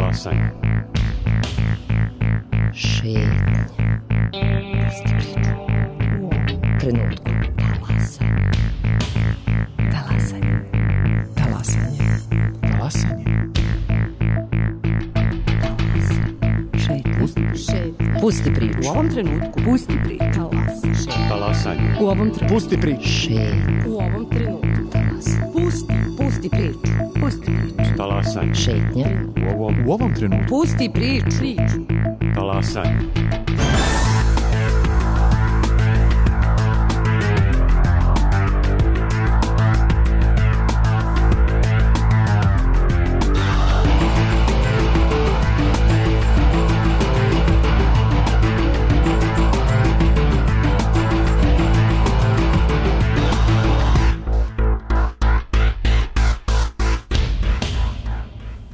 Talasanje. Šetnje. Pusti priču. U ovom trenutku. Talasanje. Talasanje. Talasanje. Šetnje. Pusti priču. U ovom trenutku. Pusti priču. Talasanje. U ovom trenutku. Pusti priču. Šetnje. U ovom trenutku. Pusti priču. Pusti priču. Talasanje. Šetnje. U ovom trenutku. Pusti priču. Talasanje.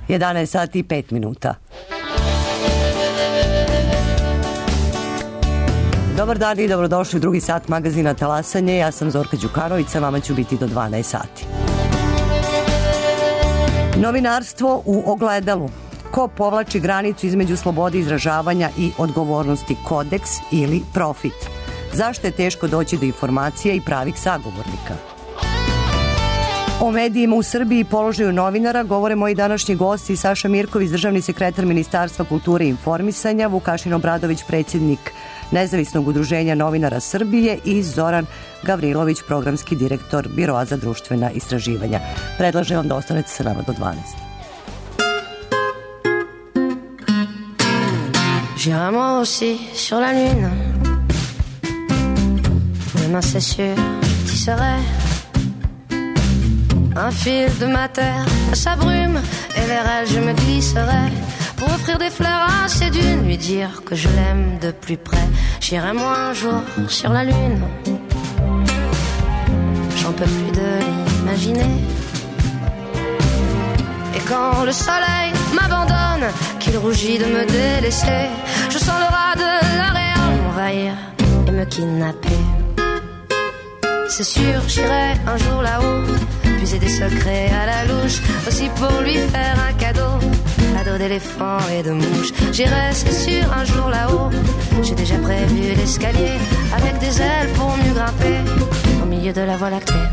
Jedanaest sati i 5 minuta. Dobar dan i dobrodošli u drugi sat magazina Talasanje. Ja sam Zorka Đukanović, sa vama ću biti do 12 sati. Novinarstvo u ogledalu. Ko povlači granicu između slobode izražavanja i odgovornosti, kodeks ili profit? Zašto je teško doći do informacija i pravih sagovornika? O medijima u Srbiji i položaju novinara govore moji današnji gosti: Saša Mirković, državni sekretar Ministarstva kulture i informisanja, Vukašin Obradović, predsjednik Nezavisnog udruženja novinara Srbije i Zoran Gavrilović, programski direktor Biroa za društvena istraživanja. Predlažem vam da ostanete sa nama do 12. J'irai moi aussi sur la lune. Demain c'est sûr, je t'y serai. Un fil de ma terre à sa brume, et vers elle je me glisserai pour offrir des fleurs à ses dunes, lui dire que je l'aime de plus près. J'irai moi un jour sur la lune. J'en peux plus de l'imaginer. Et quand le soleil m'abandonne, qu'il rougit de me délaisser, je sens le rat de l'auréole m'envahir et me kidnapper. C'est sûr, j'irai un jour là-haut, puiser des secrets à la louche, aussi pour lui faire un cadeau d'éléphant et de mouche. J'irai, c'est sûr, un jour là-haut. J'ai déjà prévu l'escalier avec des ailes pour mieux grimper au milieu de la Voie lactée.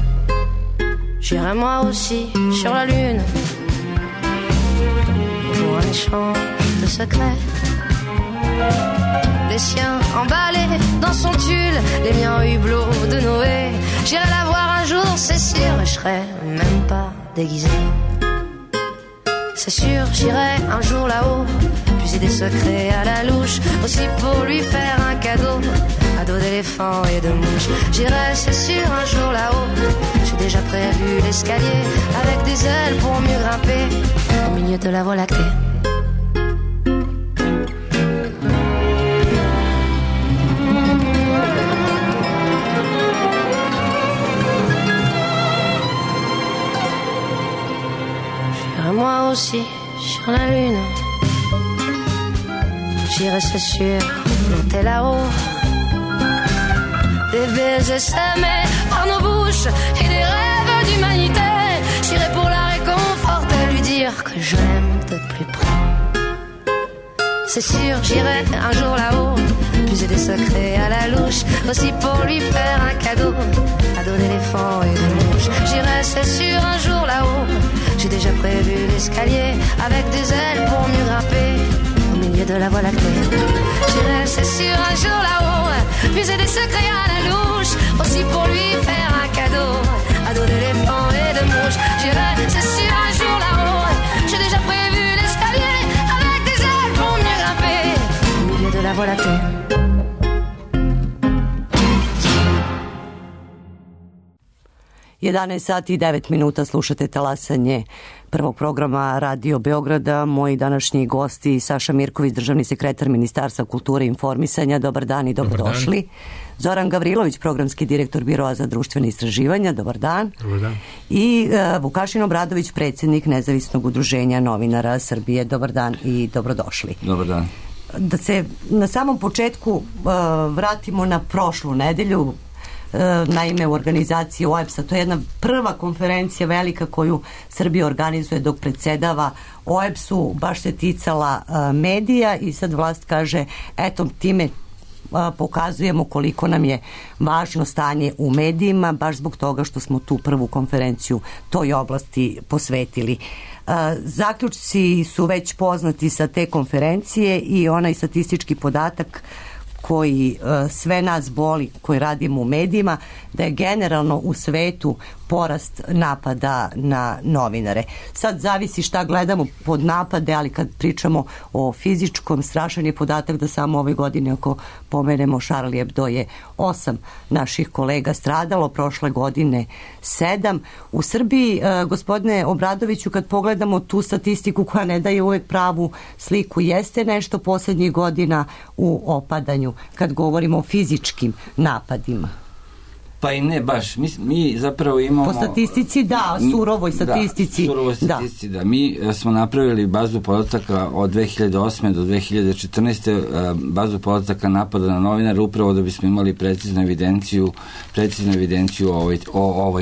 J'irai moi aussi sur la lune pour un échange de secrets. Les siens emballés dans son tulle, les miens au hublot de Noé. J'irai la voir un jour, c'est sûr, et je serai même pas déguisé. C'est sûr, j'irai un jour là-haut, puiser des secrets à la louche, aussi pour lui faire un cadeau d'éléphant et de mouche. J'irai, c'est sûr, un jour là-haut. J'ai déjà prévu l'escalier avec des ailes pour mieux grimper au milieu de la Voie lactée. Moi aussi sur la lune. J'irai, c'est sûr, monter là-haut. Des baisers s'aimer par nos bouches et des rêves d'humanité. J'irai pour la réconforter, lui dire que je l'aime de plus près. C'est sûr, j'irai un jour là-haut, puiser des secrets à la louche, aussi pour lui faire un cadeau d'éléphant et de mouche. J'irai, c'est sûr, un jour là-haut. J'ai déjà prévu l'escalier avec des ailes pour mieux grimper au milieu de la Voie lactée. J'irai, c'est sûr, un jour là-haut, puiser des secrets à la louche, aussi pour lui faire un cadeau d'éléphant et de mouche. J'irai, c'est sûr, un jour là-haut. J'ai déjà prévu l'escalier avec des ailes pour mieux grimper au milieu de la Voie lactée. 11 sati i 9 minuta, slušate Talasanje prvog programa Radio Beograda. Moji današnji gosti: Saša Mirković, državni sekretar Ministarstva kulture i informisanja. Dobar dan i dobrodošli. Zoran Gavrilović, programski direktor Biroa za društvene istraživanja. Dobar dan. Dobar dan. I Vukašin Obradović, predsjednik Nezavisnog udruženja novinara Srbije. Dobar dan i dobrodošli. Dobar dan. Da se na samom početku vratimo na prošlu nedelju. naime u organizaciji OEBS-a. To je jedna prva konferencija velika koju Srbija organizuje dok predsedava OEBS-u, baš se ticala medija i sad vlast kaže, eto, time pokazujemo koliko nam je važno stanje u medijima, baš zbog toga što smo tu prvu konferenciju toj oblasti posvetili. Zaključci su već poznati sa te konferencije i onaj statistički podatak koji sve nas boli, koji radimo u medijima, da je generalno u svetu porast napada na novinare. Sad zavisi šta gledamo pod napade, ali kad pričamo o fizičkom, strašan je podatak da samo ove godine, ako pomenemo Charlie Hebdo, je 8 naših kolega stradalo, prošle godine 7. U Srbiji, gospodine Obradoviću, kad pogledamo tu statistiku koja ne daje uvek pravu sliku, jeste nešto poslednjih godina u opadanju kad govorimo o fizičkim napadima. Pa i ne baš. Mi zapravo imamo... Po statistici da, surovoj statistici. Da, surovoj statistici da. Mi smo napravili bazu podataka od 2008. do 2014. bazu podataka napada na novinare upravo da bismo imali preciznu evidenciju o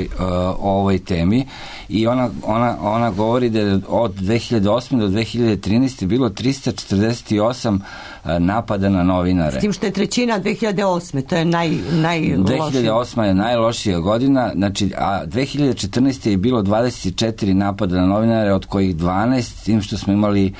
ovoj temi. I ona govori da je od 2008. do 2013. bilo 348 napada na novinare. S tim što je trećina 2008. To je najlošija. 2008. je najlošija godina, znači, a 2014. je bilo 24 napada na novinare, od kojih 12, s tim što smo imali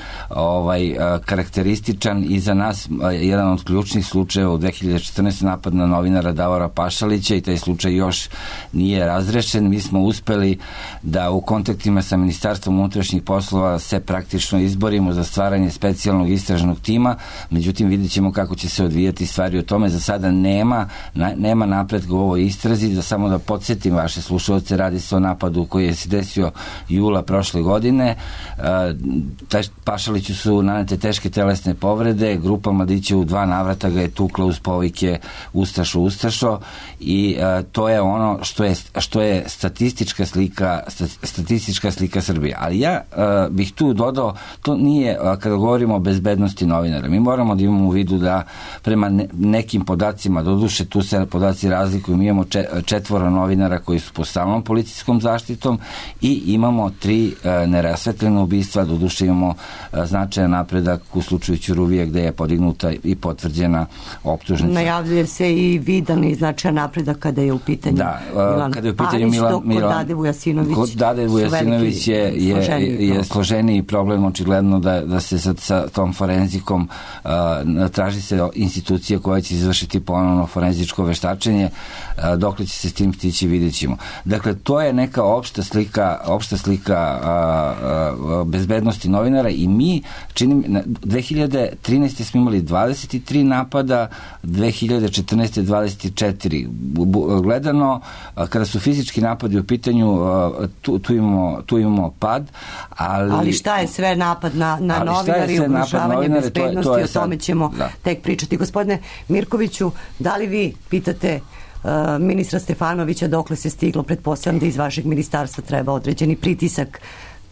karakterističan i za nas jedan od ključnih slučajeva u 2014. napad na novinara Davora Pašalića i taj slučaj još nije razrešen. Mi smo uspeli da u kontaktima sa Ministarstvom unutrašnjih poslova se praktično izborimo za stvaranje specijalnog istražnog tima, međutim vidjet ćemo kako će se odvijati stvari o tome. Za sada nema napretka u ovoj istrazi. Da samo da podsjetim vaše slušalce, radi se o napadu koji je se desio jula prošle godine. Pašaliću su nanete teške telesne povrede, grupa mladića u 2 navrata ga je tukla uz povike i to je ono što je statistička slika Srbije. Ali ja bih tu dodao, to nije kada govorimo o bezbednosti novinara. Mi moramo da imamo u vidu da prema nekim podacima, doduše tu se podaci razlikuju, mi imamo 4 novinara koji su pod stalnom policijskom zaštitom i imamo 3 nerasvetljena ubistva, doduše imamo značajan napredak u slučaju Ćuruvije gde je podignuta i potvrđena optužnica. Najavljuje se i vidan i značajan napredak kada je u pitanju Milan Parić, dok kod Dade Vujasinović je složeniji problem, očigledno da se sa tom forenzikom traži se institucija koja će izvršiti ponovno forenzičko veštačenje, dokle će se s tim stići, vidjet ćemo. Dakle, to je neka opšta slika bezbednosti novinara i mi 2013. smo imali 23 napada, 2014. 24. Gledano, kada su fizički napadi u pitanju, tu imamo pad, ali šta je sve napad na novinari, ugrožavanje bezbednosti, o tome ćemo tek pričati. Gospodine Mirkoviću, da li vi pitate ministra Stefanovića dokle se stiglo? Pretpostavljam da iz vašeg ministarstva treba određeni pritisak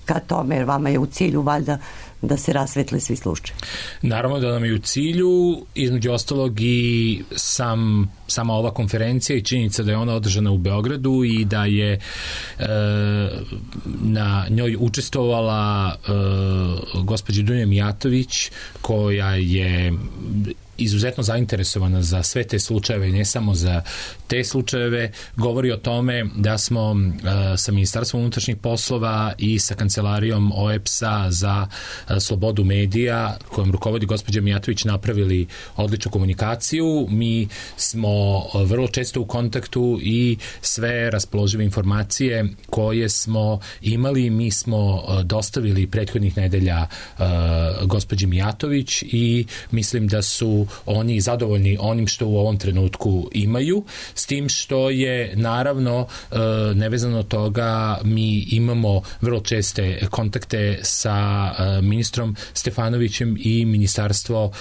ka tome, jer vama je u cilju valjda da se rasvetle svi slučajevi. Naravno da nam je u cilju, između ostalog i sama ova konferencija i činjenica da je ona održana u Beogradu i da je na njoj učestvovala gospođa Dunja Mijatović, koja je izuzetno zainteresovana za sve te slučajeve i ne samo za te slučajeve, govori o tome da smo sa Ministarstvom unutrašnjih poslova i sa kancelarijom OEBS-a za slobodu medija, kojom rukovodi gospođa Mijatović, napravili odličnu komunikaciju. Mi smo vrlo često u kontaktu i sve raspoložive informacije koje smo imali, mi smo dostavili prethodnih nedelja gospođi Mijatović i mislim da su oni zadovoljni onim što u ovom trenutku imaju, s tim što je naravno nevezano od toga mi imamo vrlo česte kontakte sa ministrom Stefanovićem i Ministarstvo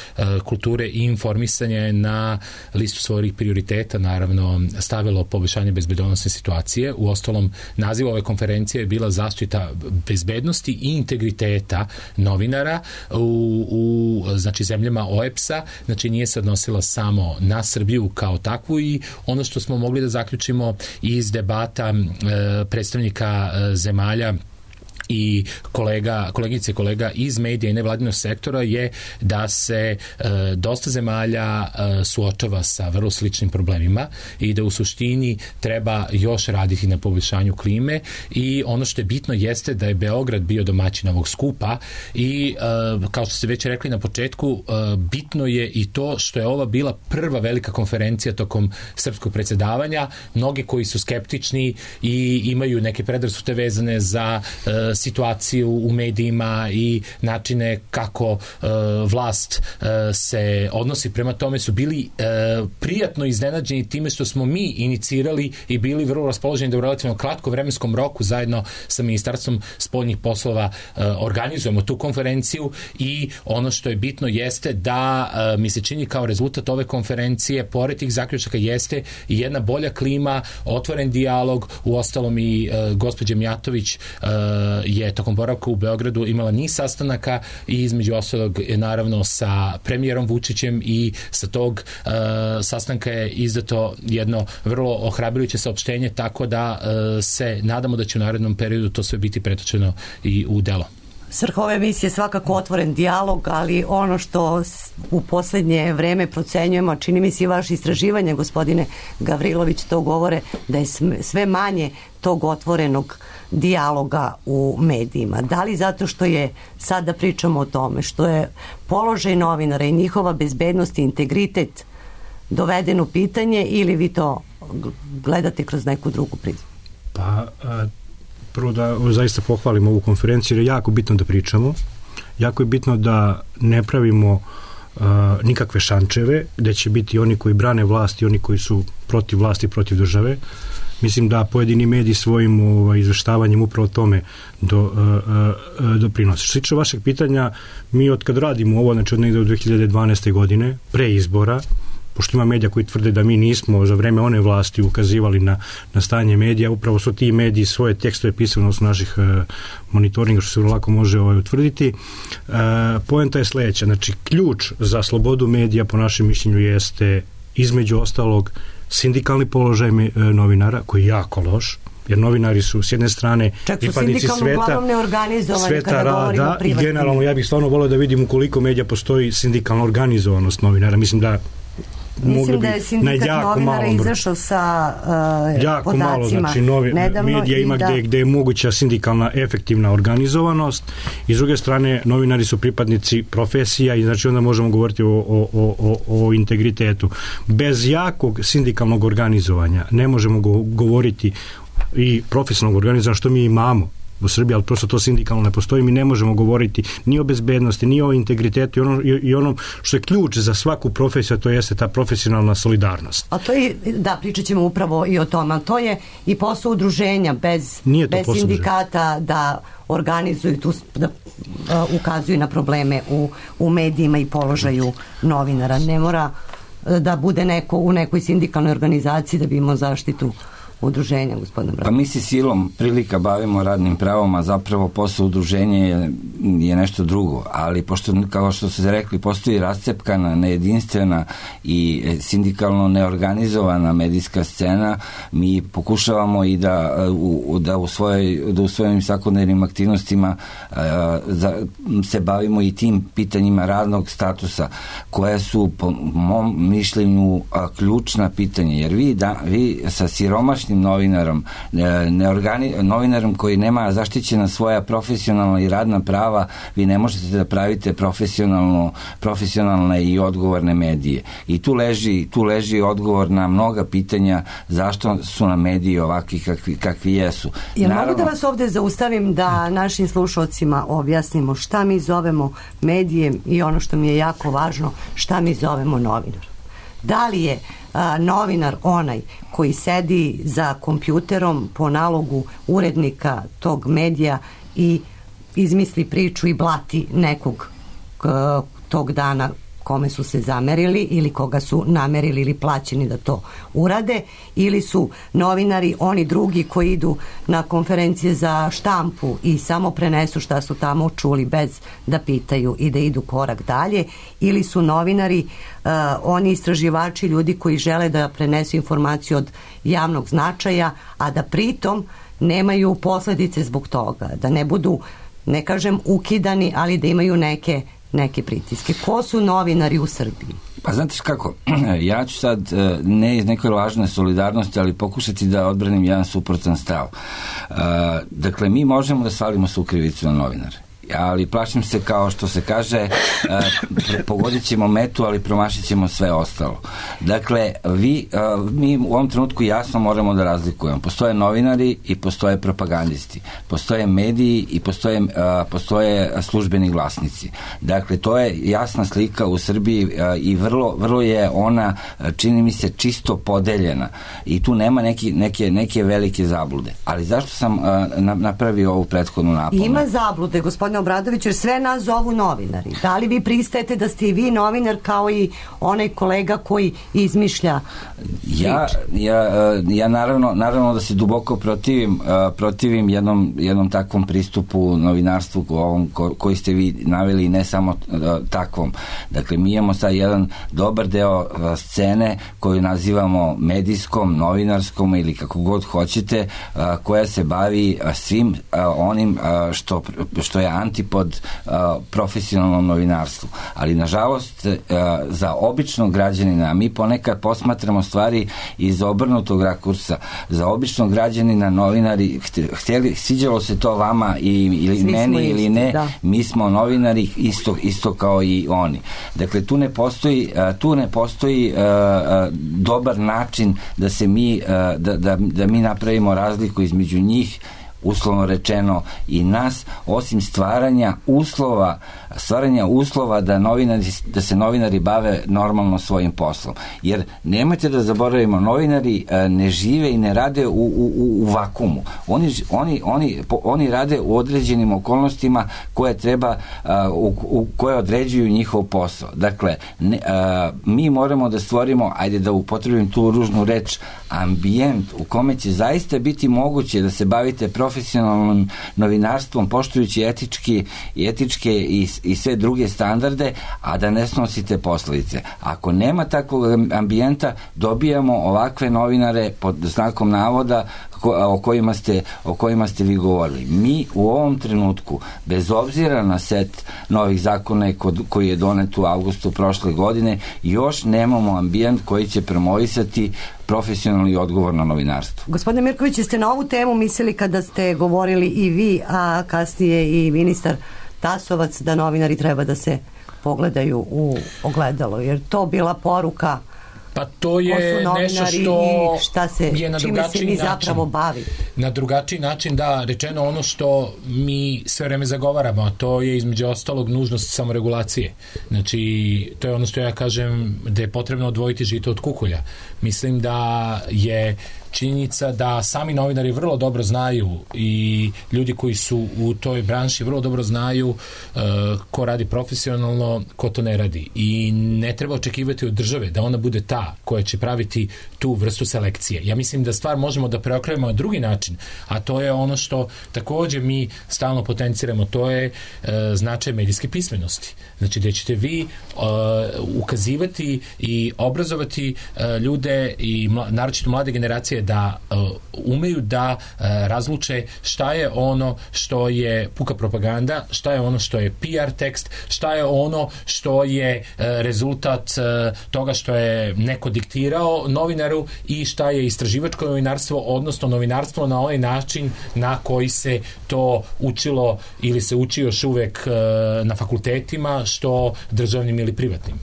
kulture i informisanja na listu svojih prioriteta naravno stavilo poboljšanje bezbednosne situacije. U ostalom, naziv ove konferencije je bila zaštita bezbednosti i integriteta novinara u znači zemljama OEBS-a. znači nije se odnosila samo na Srbiju kao takvu i ono što smo mogli da zaključimo iz debata predstavnika zemalja i kolegice i kolega iz medija i nevladinog sektora je da se dosta zemalja suočava sa vrlo sličnim problemima i da u suštini treba još raditi na poboljšanju klime i ono što je bitno jeste da je Beograd bio domaćin ovog skupa i kao što ste već rekli na početku, bitno je i to što je ova bila prva velika konferencija tokom srpskog predsjedavanja. Mnogi koji su skeptični i imaju neke predrasude vezane za situaciju u medijima i načine kako vlast se odnosi prema tome su bili prijatno iznenađeni time što smo mi inicirali i bili vrlo raspoloženi da u relativno kratkom vremenskom roku zajedno sa Ministarstvom spoljnih poslova organizujemo tu konferenciju i ono što je bitno jeste da mi se čini kao rezultat ove konferencije pored tih zaključaka jeste i jedna bolja klima, otvoren dijalog, uostalom i gospođa Mijatović je tokom boravka u Beogradu imala niz sastanaka i između ostalog naravno sa premijerom Vučićem i sa tog sastanka je izdato jedno vrlo ohrabrujuće saopštenje, tako da se nadamo da će u narednom periodu to sve biti pretočeno i u delo. Svrha ove emisije je svakako otvoren dijalog, ali ono što u poslednje vreme procenjujemo, čini mi se i vaše istraživanje, gospodine Gavrilović, to govore da je sve manje tog otvorenog dijaloga u medijima. Da li zato što je, sad da pričamo o tome, što je položaj novinara i njihova bezbednost i integritet doveden u pitanje ili vi to gledate kroz neku drugu prizmu? Pa, prvo da zaista pohvalimo ovu konferenciju jer je jako bitno da pričamo. Jako je bitno da ne pravimo nikakve šančeve, da će biti oni koji brane vlast i oni koji su protiv vlasti, protiv države. Mislim da pojedini mediji svojim izveštavanjem upravo tome doprinose. Što se tiče vašeg pitanja, mi od kad radimo ovo, znači od negde od 2012. godine, pre izbora, pošto ima medija koji tvrde da mi nismo za vreme one vlasti ukazivali na stanje medija, upravo su ti mediji svoje tekstove pisali na osnovu naših monitoringa, što se vrlo lako može utvrditi. Poenta je sledeća, znači ključ za slobodu medija po našem mišljenju jeste između ostalog sindikalni položaj novinara, koji je jako loš, jer novinari su s jedne strane pripadnici sveta rada i generalno ja bih stvarno volio da vidim u koliko medija postoji sindikalna organizovanost novinara. Mislim da je sindikat novinara izašao sa jako podacima. Malo, znači medija ima gde je moguća sindikalna efektivna organizovanost i s druge strane novinari su pripadnici profesija i znači onda možemo govoriti o integritetu. Bez jakog sindikalnog organizovanja ne možemo govoriti i profesionalnog organizovanja što mi imamo u Srbiji, ali prosto to sindikalno ne postoji, mi ne možemo govoriti ni o bezbednosti, ni o integritetu i onom što je ključ za svaku profesiju, to jeste ta profesionalna solidarnost. A to je, da, pričat ćemo upravo i o tome, ali to je i posao udruženja bez sindikata da organizuju tu, da ukazuju na probleme u medijima i položaju novinara. Ne mora da bude neko u nekoj sindikalnoj organizaciji da bi imao zaštitu udruženja, gospodine Bratić. Pa mi se silom prilika bavimo radnim pravom, a zapravo posao udruženja je nešto drugo, ali pošto, kao što ste rekli, postoji rascepkana, nejedinstvena i sindikalno neorganizovana medijska scena, mi pokušavamo i da u svojim svakodnevnim aktivnostima se bavimo i tim pitanjima radnog statusa, koje su po mom mišljenju ključna pitanja, jer vi sa siromašnim novinarom, novinarom koji nema zaštićena svoja profesionalna i radna prava, vi ne možete da pravite profesionalne i odgovorne medije. I tu leži odgovor na mnoga pitanja zašto su nam mediji ovakvi kakvi jesu. Jel mogu da vas ovde zaustavim da našim slušalcima objasnimo šta mi zovemo medijem i ono što mi je jako važno, šta mi zovemo novinar? Da li je novinar onaj koji sedi za kompjuterom po nalogu urednika tog medija i izmisli priču i blati nekog tog dana kome su se zamerili ili koga su namerili ili plaćeni da to urade, ili su novinari oni drugi koji idu na konferencije za štampu i samo prenesu šta su tamo čuli bez da pitaju i da idu korak dalje, ili su novinari oni istraživači, ljudi koji žele da prenesu informaciju od javnog značaja, a da pritom nemaju posledice zbog toga, da ne budu, ne kažem ukidani, ali da imaju neke pritiske. Ko su novinari u Srbiji? Pa znate kako, ja ću sad ne iz nekoj lažne solidarnosti, ali pokušati da odbranim jedan suprotan stav. Dakle, mi možemo da svalimo svu krivicu na novinare, ali plašim se, kao što se kaže, pogodit ćemo metu, ali promašit ćemo sve ostalo. Dakle, mi u ovom trenutku jasno moramo da razlikujemo. Postoje novinari i postoje propagandisti. Postoje mediji i postoje službeni glasnici. Dakle, to je jasna slika u Srbiji i vrlo je ona, čini mi se, čisto podeljena. I tu nema neke velike zablude. Ali zašto sam napravio ovu prethodnu napomenu? Ima zablude, gospodine Obradović, jer sve nas zovu novinari. Da li vi pristajete da ste i vi novinar kao i onaj kolega koji izmišlja Ja naravno da se duboko protivim jednom takvom pristupu novinarstvu koji ste vi naveli, i ne samo takvom. Dakle, mi imamo sad jedan dobar deo scene koju nazivamo medijskom, novinarskom ili kako god hoćete, koja se bavi svim onim što je antipod profesionalnom novinarstvu. Ali nažalost za običnog građanina, mi ponekad posmatramo stvari iz obrnutog rakursa. Za običnog građanina novinari, sviđalo se to vama ili meni ili ne, mi smo novinari isto kao i oni. Dakle, tu ne postoji dobar način da se da mi napravimo razliku između njih, uslovno rečeno, i nas, osim stvaranja uslova da se novinari bave normalno svojim poslom. Jer nemojte da zaboravimo, novinari ne žive i ne rade u vakumu. Oni rade u određenim okolnostima koje određuju njihov posao. Dakle, mi moramo da stvorimo, ajde da upotrebim tu ružnu reč, ambijent u kome će zaista biti moguće da se bavite profesionalnim novinarstvom, poštujući etičke i sve druge standarde, a da ne snosite posledice. Ako nema takvog ambijenta, dobijamo ovakve novinare pod znakom navoda o kojima ste vi govorili. Mi u ovom trenutku, bez obzira na set novih zakona koji je donet u avgustu prošle godine, još nemamo ambijent koji će promovisati profesionalno i odgovorno novinarstvo. Gospodine Mirković, jeste na ovu temu mislili kada ste govorili i vi, a kasnije i ministar Tasovac, da novinari treba da se pogledaju u ogledalo? Jer to bila poruka? Pa to je nešto što je na drugačiji način. Na drugačiji način, da, rečeno ono što mi sve vreme zagovaramo, a to je između ostalog nužnost samoregulacije. Znači, to je ono što ja kažem, da je potrebno odvojiti žito od kukolja. Mislim da je činjenica da sami novinari vrlo dobro znaju i ljudi koji su u toj branši vrlo dobro znaju ko radi profesionalno, ko to ne radi. I ne treba očekivati od države da ona bude ta koja će praviti tu vrstu selekcije. Ja mislim da stvar možemo da preokrenemo na drugi način, a to je ono što također mi stalno potenciramo, to je značaj medijske pismenosti. Znači, da ćete vi ukazivati i obrazovati ljude i naročito mlade generacije da umeju da razluče šta je ono što je puka propaganda, šta je ono što je PR tekst, šta je ono što je rezultat toga što je neko diktirao novinaru i šta je istraživačko novinarstvo, odnosno novinarstvo na ovaj način na koji se to učilo ili se uči još uvek na fakultetima, što državnim ili privatnim.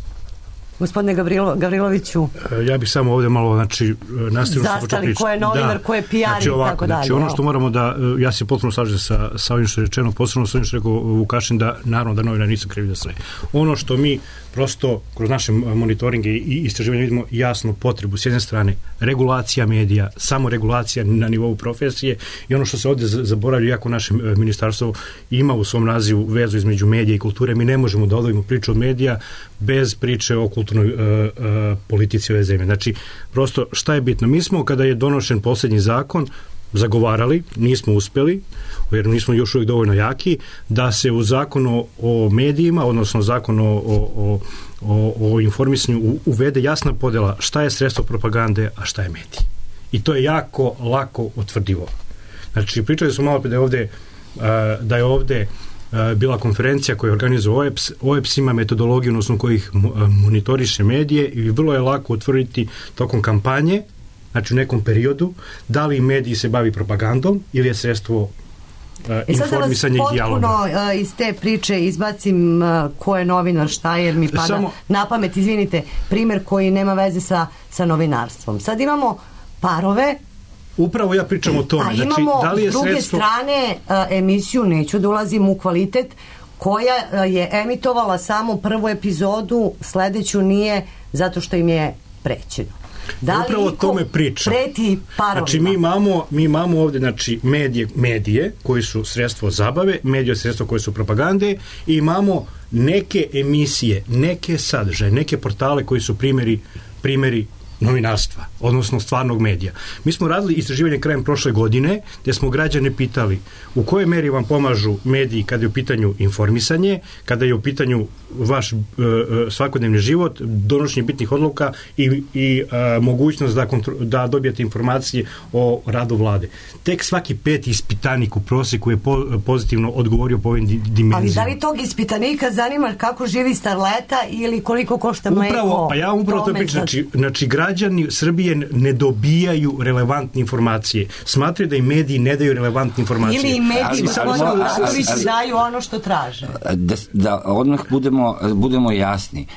Gospodine Gavriloviću. Ja bih samo ovdje malo, znači, nastavno zastali ko je novinar, ko je PR i tako dalje. Znači, ono što moramo da, ja se potpuno slažem sa ovim što je rečeno, posebno sa ovim što je rekao Vukašin, da naravno da novinar nisu krivi za sve. Ono što mi prosto kroz naše monitoringe i istraživanje vidimo jasnu potrebu s jedne strane regulacija medija, samo regulacija na nivou profesije, i ono što se ovdje zaboravlja, iako naše ministarstvo ima u svom nazivu vezu između medija i kulture, mi ne možemo da odvojimo priču od medija bez priče o kulturnoj politici ove zemlje. Znači, prosto šta je bitno? Mi smo, kada je donošen posljednji zakon, zagovarali, nismo uspjeli, jer nismo još uvijek dovoljno jaki, da se u zakonu o medijima, odnosno zakonu o informisanju uvede jasna podjela šta je sredstvo propagande, a šta je medij. I to je jako lako utvrdivo. Znači, pričali smo malo da je ovdje bila konferencija koju organizuje OEBS. OEBS ima metodologiju na osnovu kojih monitoriše medije i vrlo je lako utvrditi tokom kampanje, znači u nekom periodu, da li mediji se bavi propagandom ili je sredstvo informisanja i dijaloga. Sad da vas potpuno iz te priče izbacim ko je novinar, šta je, jer mi pada na pamet, izvinite, primjer koji nema veze sa novinarstvom. Sad imamo parove. Upravo ja pričam o tome. A imamo da li je s druge strane emisiju, neću da ulazim u kvalitet, koja je emitovala samo prvu epizodu, sledeću nije, zato što im je prećeno. Da li upravo o tome pričam. Preti parovima? Znači mi imamo ovdje, znači, medije koji su sredstvo zabave, medije sredstvo koje su propagande, i imamo neke emisije, neke sadržaje, neke portale koji su primjeri novinarstva, odnosno stvarnog medija. Mi smo radili istraživanje krajem prošle godine, gdje smo građane pitali u kojoj meri vam pomažu mediji kada je u pitanju informisanje, kada je u pitanju vaš svakodnevni život, donošenje bitnih odluka i mogućnost da dobijete informacije o radu vlade. Tek svaki peti ispitanik u prosjeku je pozitivno odgovorio po ovim dimenzijama. Ali da li tog ispitanika zanima kako živi starleta ili koliko košta mleko? Pa ja upravo to pričam. Znači, građani Srbije ne dobijaju relevantne informacije. Smatraju da i mediji ne daju relevantne informacije. Ili i mediji daju ono što traže. Da odmah budemo jasni.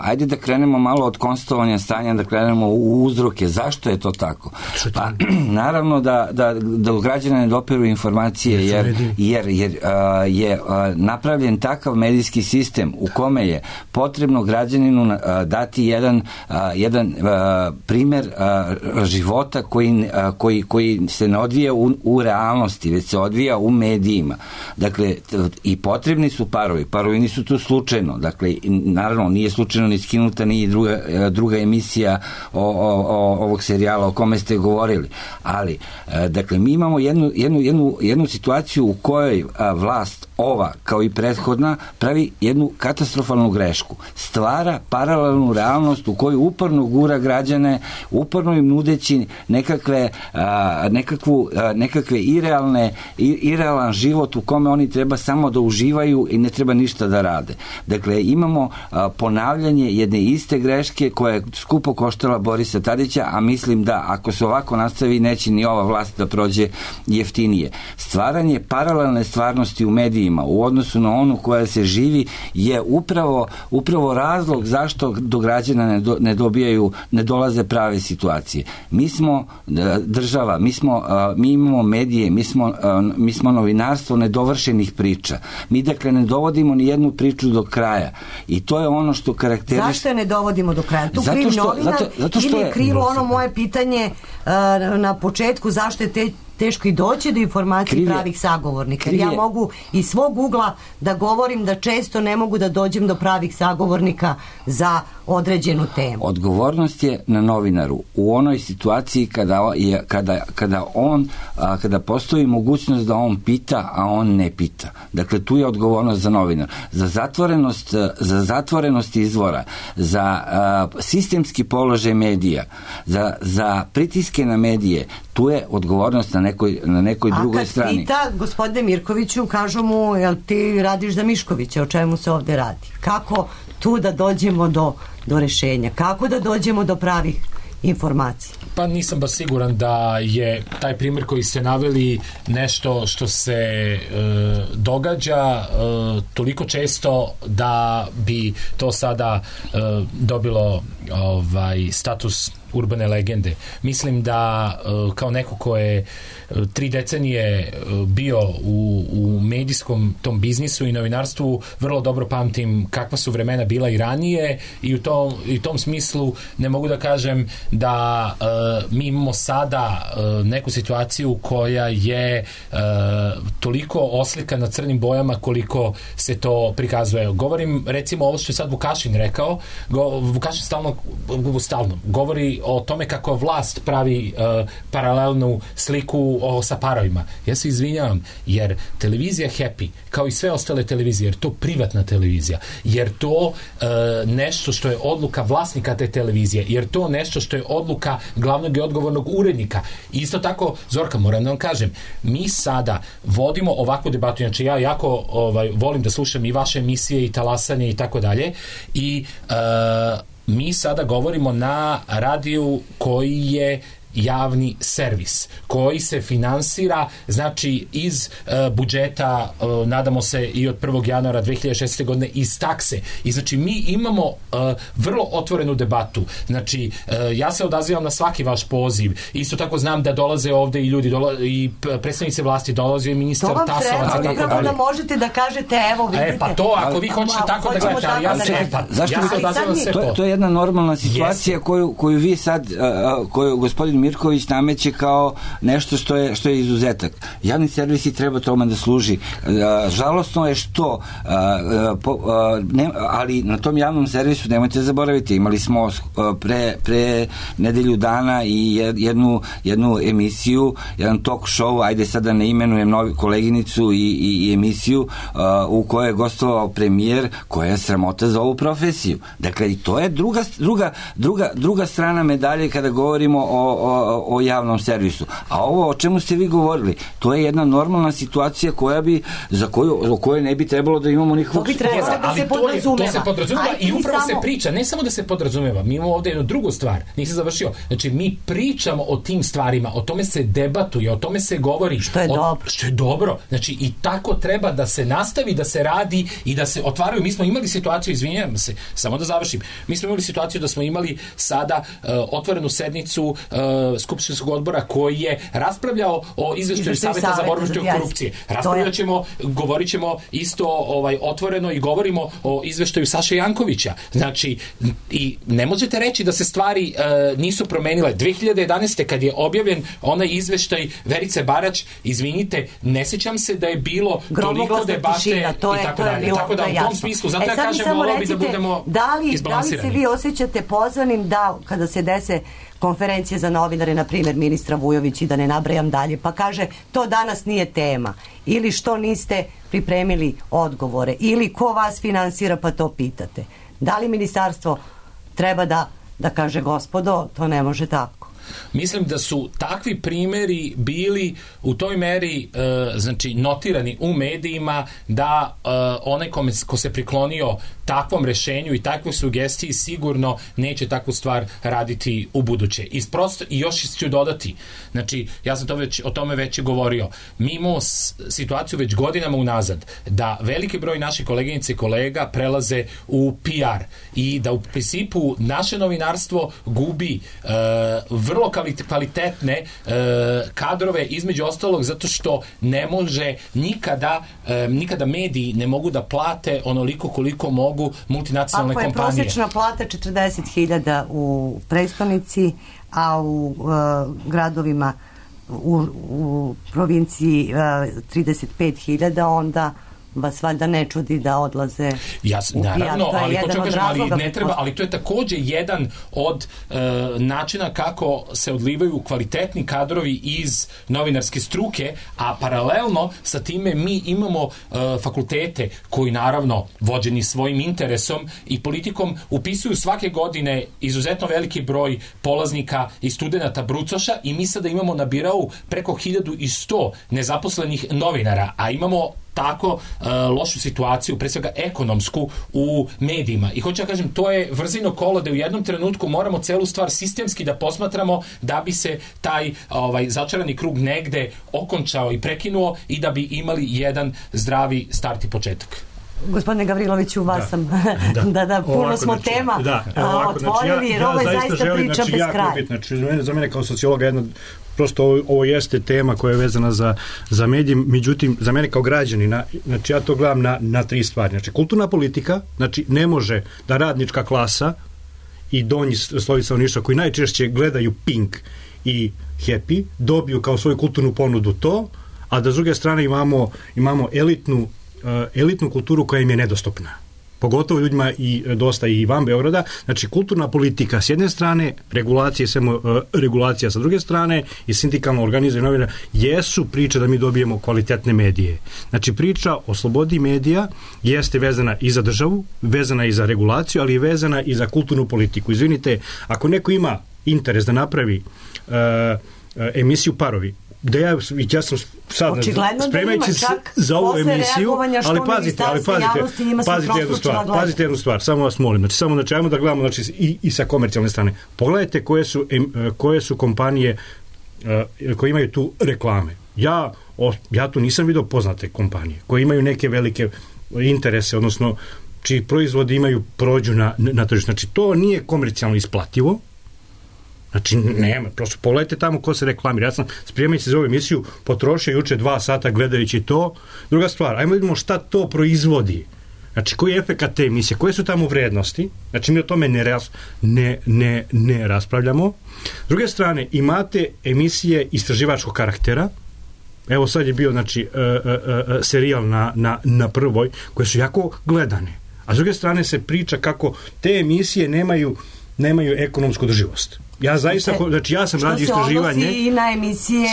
Ajde da krenemo malo od konstatovanja stanja, da krenemo u uzroke. Zašto je to tako? Pa, naravno da građane ne dopiru informacije, jer je napravljen takav medijski sistem u kome je potrebno građaninu dati jedan primjer života koji se ne odvija u realnosti, već se odvija u medijima. Dakle, i potrebni su parovi nisu tu slučajno. Dakle, naravno, nije slučajno ni skinuta ni druga emisija ovog serijala o kome ste govorili. Ali, dakle, mi imamo jednu situaciju u kojoj vlast ova, kao i prethodna, pravi jednu katastrofalnu grešku. Stvara paralelnu realnost u kojoj uporno gura građane, uporno im nudeći nekakve irealan život u kome oni treba samo da uživaju i ne treba ništa da rade. Dakle, imamo ponavljanje jedne iste greške koja je skupo koštala Borisa Tadića, a mislim da ako se ovako nastavi neće ni ova vlast da prođe jeftinije. Stvaranje paralelne stvarnosti u medijima u odnosu na onu koja se živi je upravo razlog zašto do građana ne dolaze prave situacije. Mi smo država, mi imamo medije, mi smo novinarstvo nedovršenih priča. Mi, dakle, ne dovodimo ni jednu priču do kraja. I to je ono što karakteriše... Zašto je ne dovodimo do kraja? Tu kriv novinar ili je krivo ono moje pitanje na početku, zašto je teško i doći do informacije pravih sagovornika. Ja mogu iz svog ugla da govorim da često ne mogu da dođem do pravih sagovornika za određenu temu. Odgovornost je na novinaru u onoj situaciji kada postoji mogućnost da on pita, a on ne pita. Dakle, tu je odgovornost za novinar. Za zatvorenost izvora, za sistemski položaj medija, za pritiske na medije, tu je odgovornost na nekoj drugoj strani. A kad pita, gospodine Mirkoviću, kažu mu, jel ti radiš za Miškovića, o čemu se ovdje radi? Kako tu da dođemo do rešenja? Kako da dođemo do pravih informacije. Pa nisam baš siguran da je taj primjer koji ste naveli nešto što se događa toliko često da bi to sada dobilo status urbane legende. Mislim da kao neko ko je 3 decenije bio u medijskom tom biznisu i novinarstvu, vrlo dobro pamtim kakva su vremena bila i ranije i u tom smislu ne mogu da kažem da mi imamo sada neku situaciju koja je toliko oslikana crnim bojama koliko se to prikazuje. Govorim recimo ovo što je sad Vukašin rekao. Vukašin stalno govori o tome kako vlast pravi paralelnu sliku sa parovima. Ja se izvinjavam, jer televizija Happy, kao i sve ostale televizije, jer to privatna televizija, jer to nešto što je odluka vlasnika te televizije, jer to nešto što je odluka glavnog i odgovornog urednika. Isto tako, Zorka, moram da vam kažem, mi sada vodimo ovakvu debatu, znači ja jako volim da slušam i vaše emisije i talasanje i tako dalje, i mi sada govorimo na radiju koji je javni servis, koji se finansira, znači iz budžeta, nadamo se i od 1. januara 2016. godine iz takse. I znači mi imamo vrlo otvorenu debatu. Znači ja se odazivam na svaki vaš poziv. Isto tako znam da dolaze ovde i ljudi, i predstavnici vlasti, dolaze i ministar Tasovac. To vam treba, da možete da kažete, evo vidite. Pa to, ako vi hoćete tako da gledate, ali ja se odazivam sve to. To je jedna normalna situacija koju vi sad, koju gospodin Mirković nameće kao nešto što je izuzetak. Javni servisi treba tome da služi. Žalosno je što ali na tom javnom servisu nemojte zaboraviti, imali smo pre nedelju dana i jednu emisiju, jedan talk show, ajde sada ne imenujem koleginicu i emisiju u kojoj je gostovao premijer, koja je sramota za ovu profesiju. Dakle, i to je druga strana medalje kada govorimo o javnom servisu. A ovo o čemu ste vi govorili, to je jedna normalna situacija o kojoj ne bi trebalo da imamo nikakvog spora. Da se podrazumeva. To se podrazumeva i upravo se priča, ne samo da se podrazumeva, mi imamo ovde jednu drugu stvar, nisam završio, znači mi pričamo o tim stvarima, o tome se debatuje, o tome se govori. Što je dobro. Što je dobro. Znači i tako treba da se nastavi, da se radi i da se otvaraju. Mi smo imali situaciju, izvinjavam se, samo da završim, mi smo imali situaciju da smo imali sada otvorenu sednicu skupštinskog odbora koji je raspravljao o izveštaju Saveta za borbu protiv korupcije. Govorit ćemo isto otvoreno i govorimo o izveštaju Saše Jankovića. Znači, i ne možete reći da se stvari nisu promenile. 2011. kad je objavljen onaj izveštaj Verice Barać, izvinite, ne sjećam se da je bilo toliko debate i tako dalje. Tako da u tom smislu, zato ja kažem, volao bi da budemo izbalansirani. Da li se vi osjećate pozvanim da kada se dese konferencije za novinare, na primjer ministra Vujović, i da ne nabrajam dalje, pa kaže to danas nije tema, ili što niste pripremili odgovore, ili ko vas finansira pa to pitate. Da li ministarstvo treba da kaže gospodo, to ne može tako? Mislim da su takvi primjeri bili u toj meri znači notirani u medijima da onaj ko se priklonio takvom rešenju i takvoj sugestiji sigurno neće takvu stvar raditi u buduće. I još ću dodati, znači ja sam o tome već govorio, mi imamo situaciju već godinama unazad da veliki broj naših koleginica i kolega prelaze u PR i da u principu naše novinarstvo gubi vrlo kvalitetne kadrove, između ostalog zato što ne može nikada mediji ne mogu da plate onoliko koliko mogu multinacionalne kompanije. Ako je prosječna plata 40.000 u prestonici, a u gradovima u provinciji 35.000, onda vas valjda ne čudi da odlaze u PR. Naravno, ali hoću kažem, ali to je takođe jedan od načina kako se odlivaju kvalitetni kadrovi iz novinarske struke, a paralelno sa time mi imamo fakultete koji naravno vođeni svojim interesom i politikom upisuju svake godine izuzetno veliki broj polaznika i studenata brucoša i mi sada imamo na birau preko 1100 nezaposlenih novinara, a imamo tako lošu situaciju, pre svega ekonomsku, u medijima. I hoću da kažem, to je vrzino kolo da u jednom trenutku moramo celu stvar sistemski da posmatramo da bi se taj začarani krug negde okončao i prekinuo i da bi imali jedan zdravi start i početak. Gospodine Gavriloviću, vas sam puno smo tema otvorili, jer ovo je zaista priča bez kraja. Za mene kao sociologa jedna, prosto ovo jeste tema koja je vezana za medije, međutim za mene kao građanina, znači ja to gledam na tri stvari. Znači kulturna politika, znači ne može da radnička klasa i donji sloji stanovništva koji najčešće gledaju Pink i Happy dobiju kao svoju kulturnu ponudu to, a da s druge strane imamo elitnu kulturu koja im je nedostupna. Pogotovo ljudima i dosta i van Beograda. Znači, kulturna politika s jedne strane, regulacija sa druge strane i sindikalno organizovanje novina jesu priče da mi dobijemo kvalitetne medije. Znači, priča o slobodi medija jeste vezana i za državu, vezana i za regulaciju, ali i vezana i za kulturnu politiku. Izvinite, ako neko ima interes da napravi emisiju Parovi, da ja sam sad spremajući za ovu emisiju, ali pazite jednu stvar, samo vas molim, znači ajmo da gledamo i sa komercijalne strane. Pogledajte koje su kompanije koje imaju tu reklame. Ja tu nisam vidio poznate kompanije koje imaju neke velike interese, odnosno čiji proizvodi prođu na tržište. Znači to nije komercijalno isplativo. Znači, nema, prosto pogledajte tamo ko se reklamira. Ja sam, spremajući za ovu emisiju, potrošio juče 2 sata gledajući to. Druga stvar, ajmo vidimo šta to proizvodi. Znači, koji je efekat te emisije, koje su tamo vrednosti. Znači, mi o tome ne raspravljamo. S druge strane, imate emisije istraživačkog karaktera. Evo sad je bio, znači, serijal na Prvoj, koje su jako gledane. A s druge strane se priča kako te emisije nemaju ekonomsku održivost. Ja zaista, znači ja sam radio istraživanje. Što se odnosi i na emisije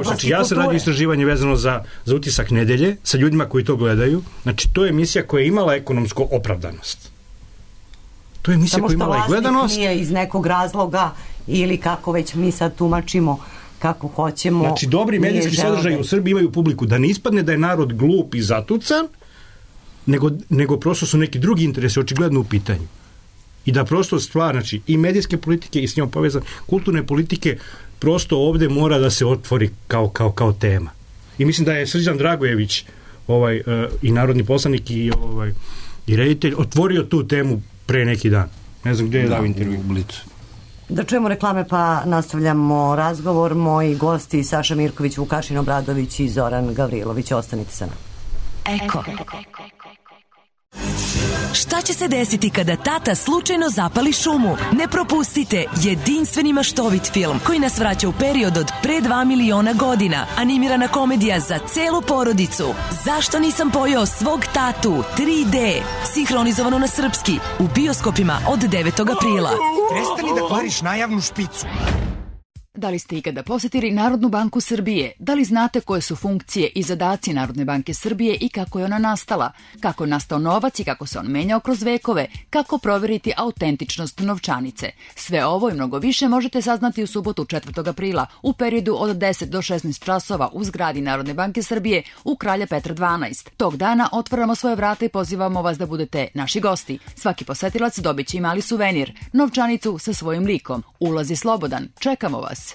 znači ja sam radio istraživanje vezano za utisak nedelje sa ljudima koji to gledaju. Znači to je emisija koja je imala ekonomsku opravdanost. To je emisija koja je imala i gledanost. Samo što vlasnik nije iz nekog razloga ili kako već mi sad tumačimo kako hoćemo. Znači dobri medijski sadržaji u Srbiji imaju publiku. Da ne ispadne da je narod glup i zatucan, nego prosto su neki drugi interesi očigledno u pitanju. I da prosto stvar, znači i medijske politike i s njom povezane kulturne politike prosto ovde mora da se otvori kao tema. I mislim da je Srđan Dragojević i narodni poslanik i reditelj otvorio tu temu pre neki dan. Ne znam gdje je dao intervju. Da čujemo reklame pa nastavljamo razgovor. Moji gosti Saša Mirković, Vukašin Obradović i Zoran Gavrilović. Ostanite sa nama. Eko. Šta će se desiti kada tata slučajno zapali šumu? Ne propustite jedinstveni maštovit film koji nas vraća u period od pre 2 miliona godina. Animirana komedija za celu porodicu. Zašto nisam pojeo svog tatu? 3D. Sinhronizovano na srpski. U bioskopima od 9. aprila. Prestani da kvariš najavnu špicu. Da li ste ikada posjetili Narodnu banku Srbije? Da li znate koje su funkcije i zadaci Narodne banke Srbije i kako je ona nastala? Kako je nastao novac i kako se on menjao kroz vekove? Kako proveriti autentičnost novčanice? Sve ovo i mnogo više možete saznati u subotu 4. aprila u periodu od 10 do 16 časova u zgradi Narodne banke Srbije u Kralja Petra 12. Tog dana otvaramo svoje vrata i pozivamo vas da budete naši gosti. Svaki posetilac dobit će i mali suvenir, novčanicu sa svojim likom. Ulaz je slobodan. Čekamo vas.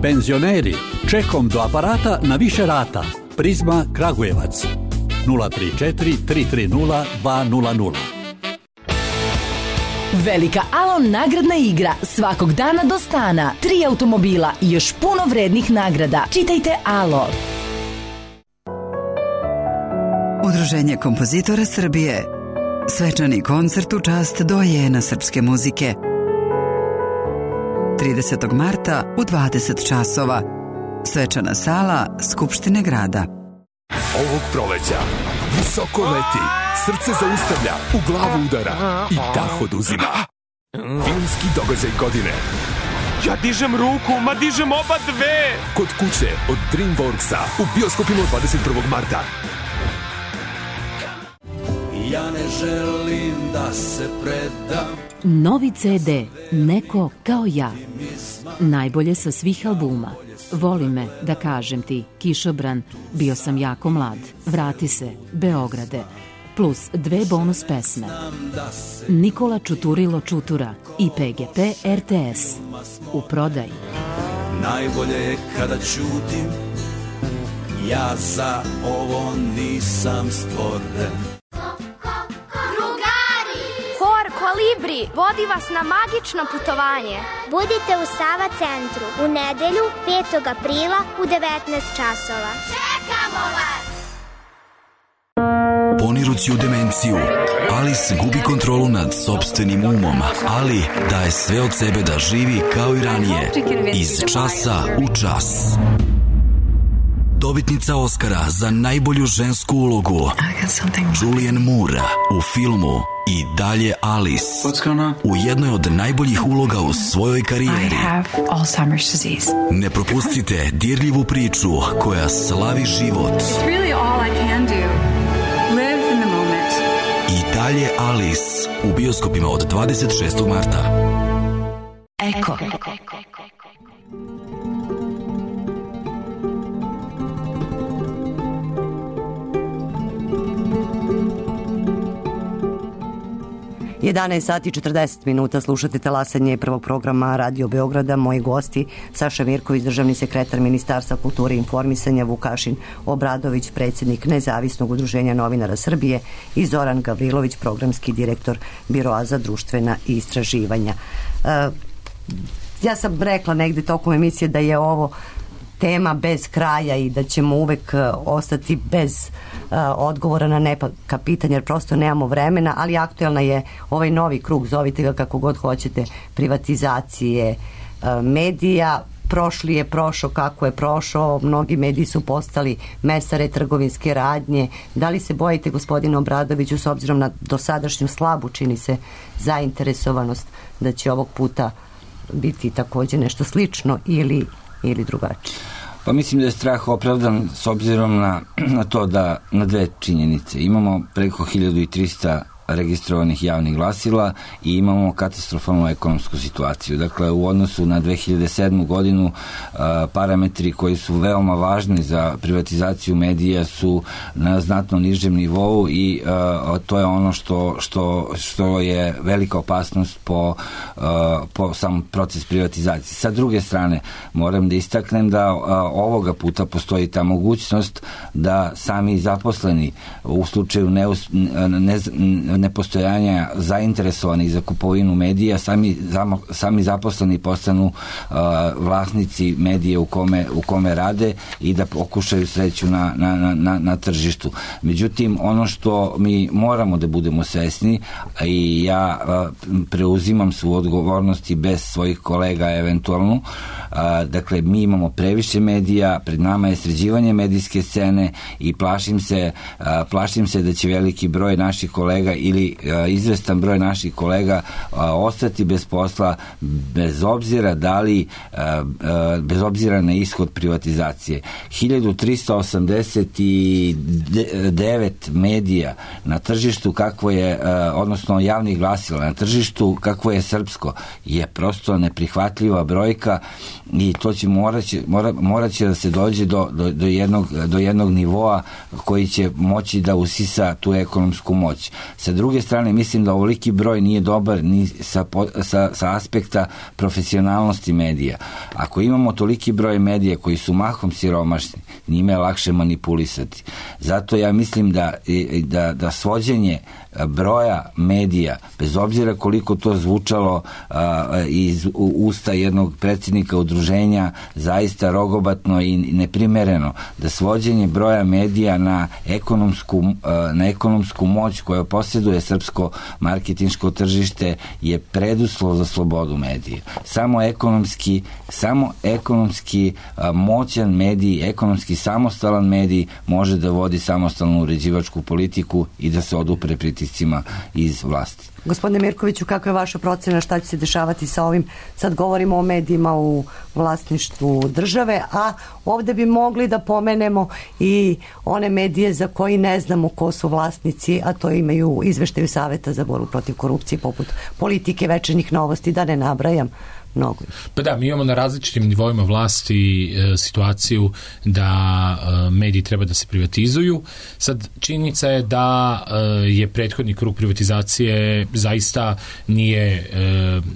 Penzioneri, čekom do aparata na više rata. Prizma Kragujevac 034 330 200. Velika Alon nagradna igra svakog dana do stana. 3 automobila i još puno vrednih nagrada. Čitajte Alo. Udruženje kompozitora Srbije. Svečani koncert u čast dojena srpske muzike. 30. marta u 20 časova. Svečana sala Skupštine grada. Ovog proleća visoko leti, srce zaustavlja, u glavu udara i dah oduzima. Filmski događaj godine. Ja dižem ruku, ma dižem oba dve. Kod kuće od DreamWorksa u bioskopima 21. marta. Ja ne želim da se predam. Novi CD Neko kao ja. Najbolje sa svih albuma. Voli me, da kažem ti, Kišobran, bio sam jako mlad, vrati se, Beograde, plus 2 bonus pesme. Nikola Čuturilo Čutura i PGP RTS. U prodaji. Najbolje je kada ćutim, ja za ovo nisam stvoren. Drugari! Hor Kolibri vodi vas na magično putovanje. Budite u Sava centru u nedelju 5. aprila u 19 časova. Čekamo vas! Ponirući u demenciju, Alice gubi kontrolu nad sopstvenim umom, ali daje sve od sebe da živi kao i ranije, iz časa u čas. Dobitnica Oscara za najbolju žensku ulogu Julianne Moore u filmu I dalje Alice, u jednoj od najboljih uloga u svojoj karijeri. Ne propustite dirljivu priču koja slavi život. I dalje Alice u bioskopima od 26. marta. Eko. 11 sati 40 minuta, slušate talasanje prvog programa Radio Beograda. Moji gosti Saša Mirković, državni sekretar Ministarstva kulture i informisanja, Vukašin Obradović, predsjednik Nezavisnog udruženja novinara Srbije i Zoran Gavrilović, programski direktor Biroa za društvena istraživanja. Ja sam rekla negde tokom emisije da je ovo tema bez kraja i da ćemo uvek ostati bez odgovora na neka pitanja, jer prosto nemamo vremena, ali aktuelna je ovaj novi krug, zovite ga kako god hoćete, privatizacije medija. Prošli je prošao kako je prošao, mnogi mediji su postali mesare trgovinske radnje. Da li se bojite, gospodine Obradoviću, s obzirom na dosadašnju slabu, čini se, zainteresovanost, da će ovog puta biti također nešto slično ili drugačije? Pa mislim da je strah opravdan s obzirom na to da na dve činjenice. Imamo preko 1300 registrovanih javnih glasila i imamo katastrofalnu ekonomsku situaciju. Dakle, u odnosu na 2007. godinu parametri koji su veoma važni za privatizaciju medija su na znatno nižem nivou i to je ono što je velika opasnost po sam proces privatizacije. Sa druge strane, moram da istaknem da ovoga puta postoji ta mogućnost da sami zaposleni u slučaju nepostojanja zainteresovanih za kupovinu medija, sami zaposleni postanu vlasnici medije u kome rade i da pokušaju sreću na tržištu. Međutim, ono što mi moramo da budemo svesni, i ja preuzimam svu odgovornost i bez svojih kolega eventualno, dakle, mi imamo previše medija, pred nama je sređivanje medijske scene i plašim se da će veliki broj naših kolega ili izvestan broj naših kolega ostati bez posla bez obzira na ishod privatizacije. 1389 medija na tržištu kakvo je, odnosno javnih glasila na tržištu kakvo je srpsko, je prosto neprihvatljiva brojka i to će moraće da se dođe do jednog nivoa koji će moći da usisa tu ekonomsku moć. Sa druge strane, mislim da ovoliki broj nije dobar ni sa aspekta profesionalnosti medija. Ako imamo toliki broj medija koji su mahom siromašni, njime je lakše manipulisati. Zato ja mislim da svođenje broja medija, bez obzira koliko to zvučalo iz usta jednog predsjednika udruženja zaista rogobatno i neprimereno, da svođenje broja medija na ekonomsku moć koja posjeduje srpsko marketinško tržište je preduslov za slobodu medija. Samo ekonomski moćan medij, ekonomski samostalan medij može da vodi samostalnu uređivačku politiku i da se odupre pritiscima iz vlasti. Gospodine Mirkoviću, kakva je vaša procena, šta će se dešavati sa ovim? Sad govorimo o medijima u vlasništvu države, a ovdje bi mogli da pomenemo i one medije za koji ne znamo ko su vlasnici, a to imaju izveštaju Saveta za borbu protiv korupcije, poput Politike, Večernjih novosti, da ne nabrajam. mnogo. Pa da, mi imamo na različitim nivoima vlasti situaciju da mediji treba da se privatizuju. Sad, činjenica je da je prethodni krug privatizacije zaista nije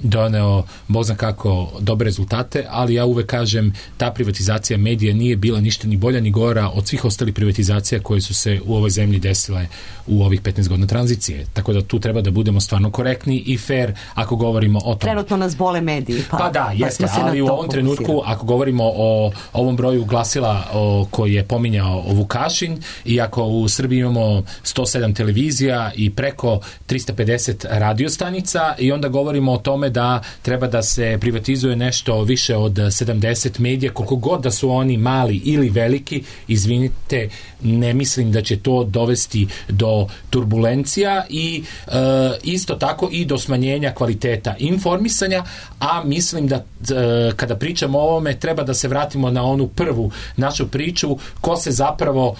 doneo bog zna kako dobre rezultate, ali ja uvek kažem, ta privatizacija medija nije bila ništa ni bolja ni gora od svih ostalih privatizacija koje su se u ovoj zemlji desile u ovih 15 godina tranzicije. Tako da tu treba da budemo stvarno korektni i fair ako govorimo o tom. Trenutno nas bole mediji. Pa da, jeste, ali u ovom trenutku, ako govorimo o ovom broju glasila koji je pominjao Vukašin, i ako u Srbiji imamo 107 televizija i preko 350 radiostanica, i onda govorimo o tome da treba da se privatizuje nešto više od 70 medija, koliko god da su oni mali ili veliki, izvinite, ne mislim da će to dovesti do turbulencija i isto tako i do smanjenja kvaliteta informisanja, a mislim da kada pričamo o ovome treba da se vratimo na onu prvu našu priču, ko se zapravo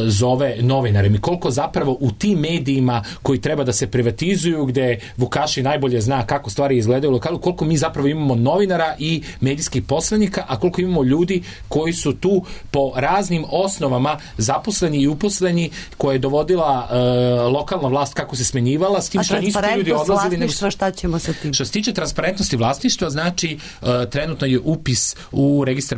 zove novinarem i koliko zapravo u tim medijima koji treba da se privatizuju, gde Vukašin najbolje zna kako stvari izgledaju u lokalu, koliko mi zapravo imamo novinara i medijskih poslanika, a koliko imamo ljudi koji su tu po raznim osnovama zaposleni i uposleni, koje je dovodila lokalna vlast kako se smenjivala, s tim što nisu ti ljudi odlazili. Šta ćemo sa tim? Što se tiče transparentnosti vlasništva, znači trenutno je upis u registar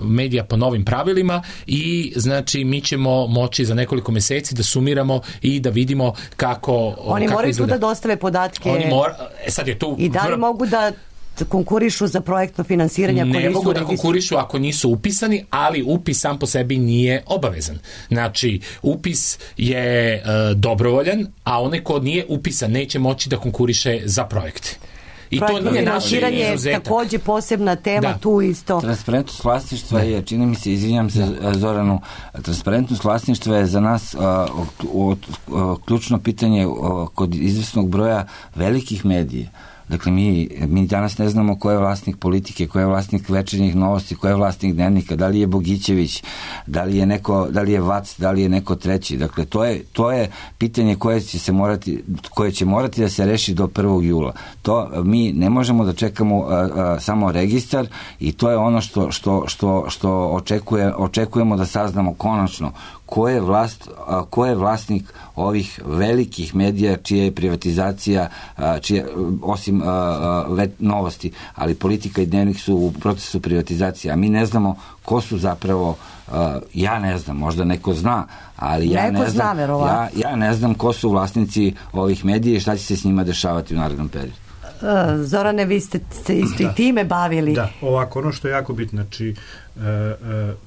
medija po novim pravilima i znači mi ćemo moći za nekoliko meseci da sumiramo i da vidimo kako oni kako moraju izgleda. Tu da dostave podatke sad je tu i da li mogu da konkurišu za projektno finansiranje ako ne mogu da konkurišu ako nisu upisani, ali upis sam po sebi nije obavezan. Znači, upis je dobrovoljan, a onaj ko nije upisan neće moći da konkuriše za projekte. I projektno finansiranje je takođe posebna tema, tu isto. Transparentnost vlasništva je, čini mi se, izvinjam se Zoranu, transparentnost vlasništva je za nas ključno pitanje kod izvesnog broja velikih medija. Dakle, mi danas ne znamo ko je vlasnik Politike, ko je vlasnik Večernjih novosti, ko je vlasnik Dnevnika, da li je Bogićević, da li je Vac, da li je neko treći. Dakle, to je pitanje koje će morati da se reši do 1. jula. To mi ne možemo da čekamo samo registar i to je ono što očekujemo da saznamo konačno ko je vlasnik ovih velikih medija čija je privatizacija, osim novosti, ali Politika i Dnevnik su u procesu privatizacije, a mi ne znamo ko su zapravo, ja ne znam, možda neko zna, ali ja ne znam ko su vlasnici ovih medija i šta će se s njima dešavati u narednom periodu. Zorane, vi ste isto i time bavili. Da, ovako, ono što je jako bitno, znači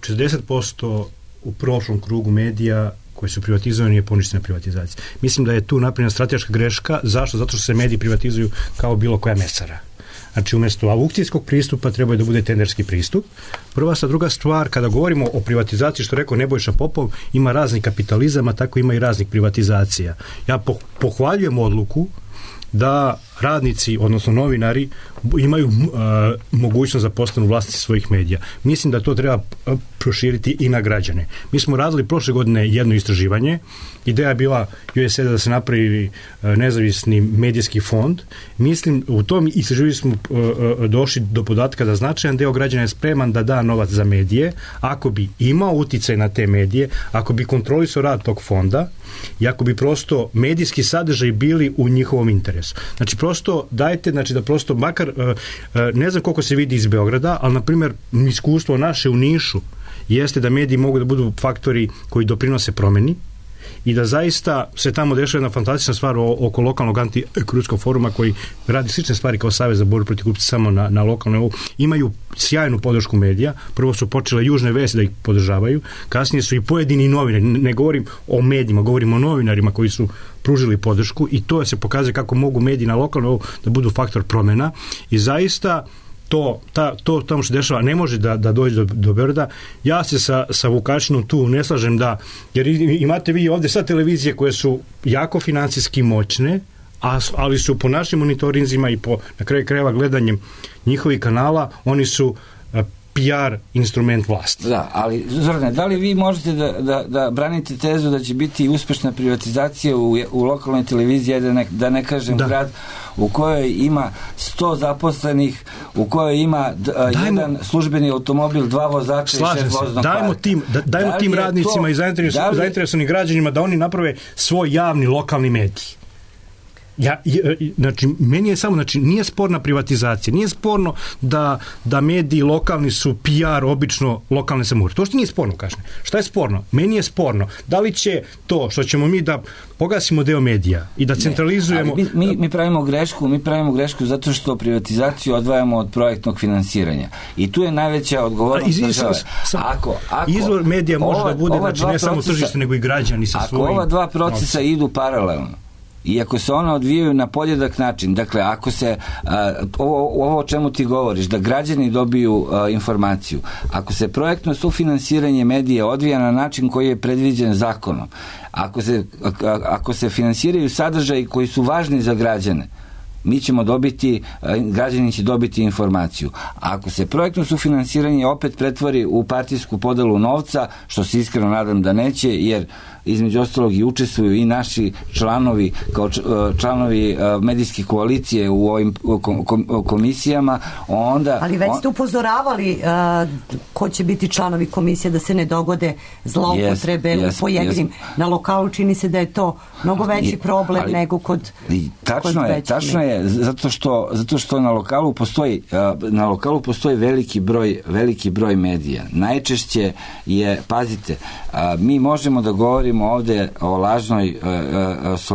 60% u prošlom krugu medija koji su privatizovani je poništena privatizacija. Mislim da je tu napravljena strateška greška. Zašto? Zato što se mediji privatizuju kao bilo koja mesara. Znači, umjesto aukcijskog pristupa treba da bude tenderski pristup. Prva stvar, druga stvar, kada govorimo o privatizaciji, što rekao Nebojša Popov, ima raznih kapitalizama, tako ima i raznih privatizacija. Ja pohvaljujem odluku da radnici, odnosno novinari, imaju mogućnost da postanu vlasnici svojih medija. Mislim da to treba proširiti i na građane. Mi smo radili prošle godine jedno istraživanje. Ideja je bila USAID da se napravi nezavisni medijski fond. Mislim, u tom istraživanju smo došli do podatka da značajan deo građana je spreman da da novac za medije, ako bi imao uticaj na te medije, ako bi kontrolisao rad tog fonda i ako bi prosto medijski sadržaj bili u njihovom interesu. Znači, prosto dajte, znači da prosto makar, ne znam koliko se vidi iz Beograda, ali na primjer iskustvo naše u Nišu jeste da mediji mogu da budu faktori koji doprinose promeni i da zaista se tamo dešava jedna fantastična stvar oko lokalnog antikorupcijskog foruma koji radi slične stvari kao Savez za borbu protiv korupcije samo na lokalnom nivou. Imaju sjajnu podršku medija. Prvo su počele Južne vesti da ih podržavaju, kasnije su i pojedini novinari, ne govorim o medijima, govorim o novinarima koji su pružili podršku i to se pokazuje kako mogu mediji na lokalnom nivou da budu faktor promjena i zaista to tamo što dešava ne može da dođe do Beograda. Ja se sa Vukašinom tu ne slažem jer imate vi ovdje sad televizije koje su jako financijski moćne, ali su po našim monitorinzima i na kraju krajeva gledanjem njihovih kanala, oni su PR instrument vlasti. Da, ali Zorane, da li vi možete da branite tezu da će biti uspešna privatizacija u lokalnoj televiziji, da ne kažem grad, u kojoj ima 100 zaposlenih, u kojoj ima jedan službeni automobil, 2 vozača i 6 voznog parka. Dajmo tim radnicima i zainteresovanim građanima da oni naprave svoj javni lokalni medij. Znači, meni je samo, znači, nije sporna privatizacija, nije sporno da mediji lokalni su PR obično lokalne samouprave. To što nije sporno, kažem. Šta je sporno? Meni je sporno. Da li će to što ćemo mi da pogasimo deo medija i da centralizujemo... Mi pravimo grešku zato što privatizaciju odvajamo od projektnog finansiranja. I tu je najveća odgovornost države. Izvor medija može da bude, znači, ne samo tržište, nego i građani sa svojim... Ako ova dva procesa idu paralelno, i ako se ona odvijaju na podjednak način, dakle, ako se ovo o čemu ti govoriš, da građani dobiju informaciju, ako se projektno sufinansiranje medija odvija na način koji je predviđen zakonom, ako se finansiraju sadržaji koji su važni za građane, mi ćemo dobiti, građani će dobiti informaciju. Ako se projektno sufinansiranje opet pretvori u partijsku podelu novca, što se iskreno nadam da neće, jer između ostalog i učestvuju i naši članovi kao članovi medijske koalicije u ovim komisijama, onda... Ali već ste upozoravali ko će biti članovi komisije, da se ne dogode zloupotrebe u pojedinim. Na lokalu čini se da je to mnogo veći problem nego kod tačno je, zato što na lokalu postoji veliki broj medija. Najčešće je, pazite, mi možemo da govorimo ovde o lažnoj,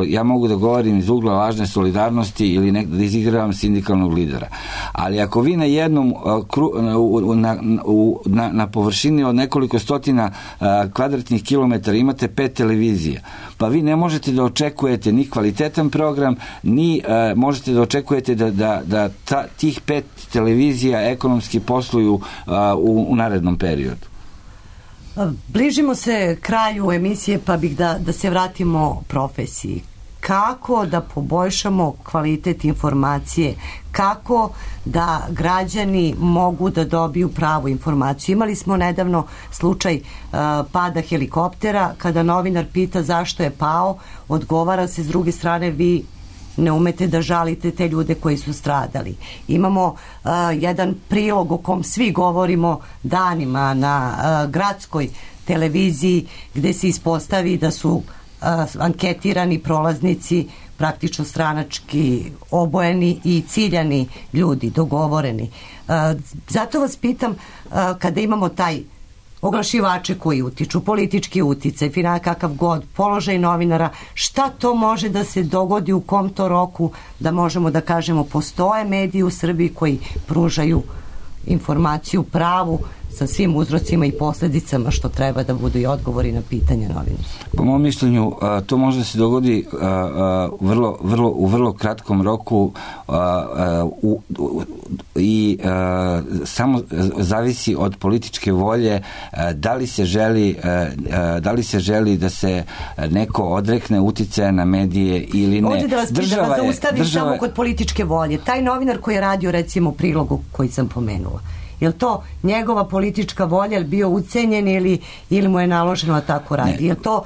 ja mogu da govorim iz ugla lažne solidarnosti ili da izigravam sindikalnog lidera. Ali ako vi na jednom na površini od nekoliko stotina kvadratnih kilometara imate 5 televizija, pa vi ne možete da očekujete ni kvalitetan program, ni možete da očekujete da tih 5 televizija ekonomski posluju u narednom periodu. Bližimo se kraju emisije, pa bih da se vratimo profesiji. Kako da poboljšamo kvalitet informacije? Kako da građani mogu da dobiju pravu informaciju? Imali smo nedavno slučaj pada helikoptera, kada novinar pita zašto je pao, odgovara se s druge strane, vi ne umete da žalite te ljude koji su stradali. Imamo jedan prilog o kom svi govorimo danima na gradskoj televiziji, gde se ispostavi da su anketirani prolaznici praktično stranački obojeni i ciljani ljudi, dogovoreni. Zato vas pitam, kada imamo taj oglašivače koji utiču, politički uticaj, kakav god, položaj novinara, šta to može da se dogodi, u kom to roku, da možemo da kažemo postoje mediji u Srbiji koji pružaju informaciju pravu sa svim uzrocima i posledicama, što treba da budu i odgovori na pitanja novinara? Po mom mišljenju, to može da se dogodi u vrlo kratkom roku i samo zavisi od političke volje da li se želi da se neko odrekne uticaja na medije ili ne. Ovdje da vas zaustavim samo kod političke volje. Taj novinar koji je radio, recimo, prilogu koji sam pomenula, je li to njegova politička volja, je li bio ucenjen ili mu je naloženo da tako radi? Je li to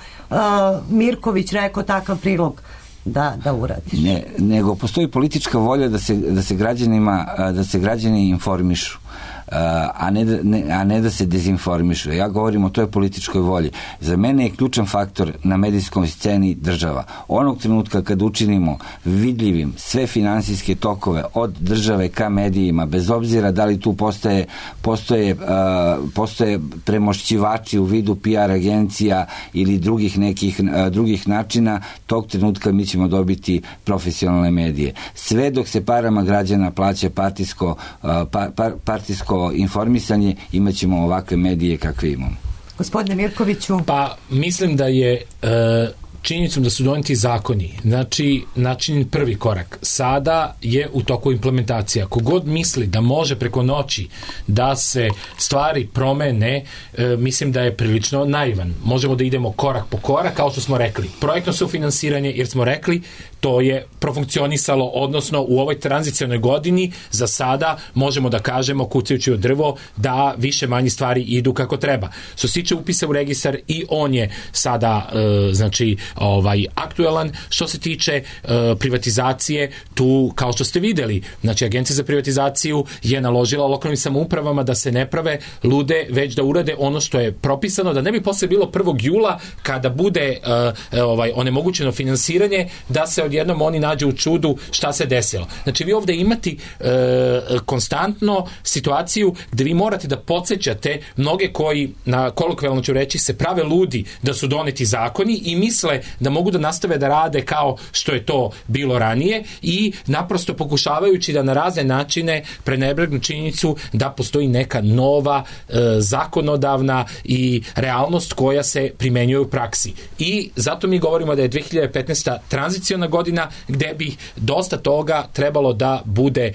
Mirković rekao takav prilog da uradiš? Ne, nego postoji politička volja da se građani informišu, a ne da se dezinformišu. Ja govorim o toj političkoj volji. Za mene je ključan faktor na medijskoj sceni država. Onog trenutka kad učinimo vidljivim sve finansijske tokove od države ka medijima, bez obzira da li tu postoje premošćivači u vidu PR agencija ili drugih načina, tog trenutka mi ćemo dobiti profesionalne medije. Sve dok se parama građana plaća partijsko informisanje, imat ćemo ovakve medije kakve imamo. Gospodine Mirkoviću? Pa, mislim da je činjenicom da su doneti zakoni, znači način prvi korak. Sada je u toku implementacija. Kogod misli da može preko noći da se stvari promene, mislim da je prilično naivan. Možemo da idemo korak po korak, kao što smo rekli. Projektno sufinansiranje, jer smo rekli, to je profunkcionisalo, odnosno u ovoj tranzicionoj godini za sada možemo da kažemo, kucajući od drvo, da više manje stvari idu kako treba. Što se tiče upisa u registar, i on je sada znači aktuelan. Što se tiče privatizacije, tu kao što ste videli, znači Agencija za privatizaciju je naložila lokalnim samoupravama da se ne prave lude, već da urade ono što je propisano, da ne bi posle bilo 1. jula kada bude onemogućeno finansiranje, da se odjednom oni nađe u čudu šta se desilo. Znači vi ovde imate konstantno situaciju gde vi morate da podsjećate mnoge koji, na kolokvijalno ću reći, se prave ludi da su doneti zakoni i misle da mogu da nastave da rade kao što je to bilo ranije i naprosto pokušavajući da na razne načine prenebregnu činjenicu da postoji neka nova zakonodavna i realnost koja se primenjuje u praksi. I zato mi govorimo da je 2015. tranziciona godina gde bi dosta toga trebalo da bude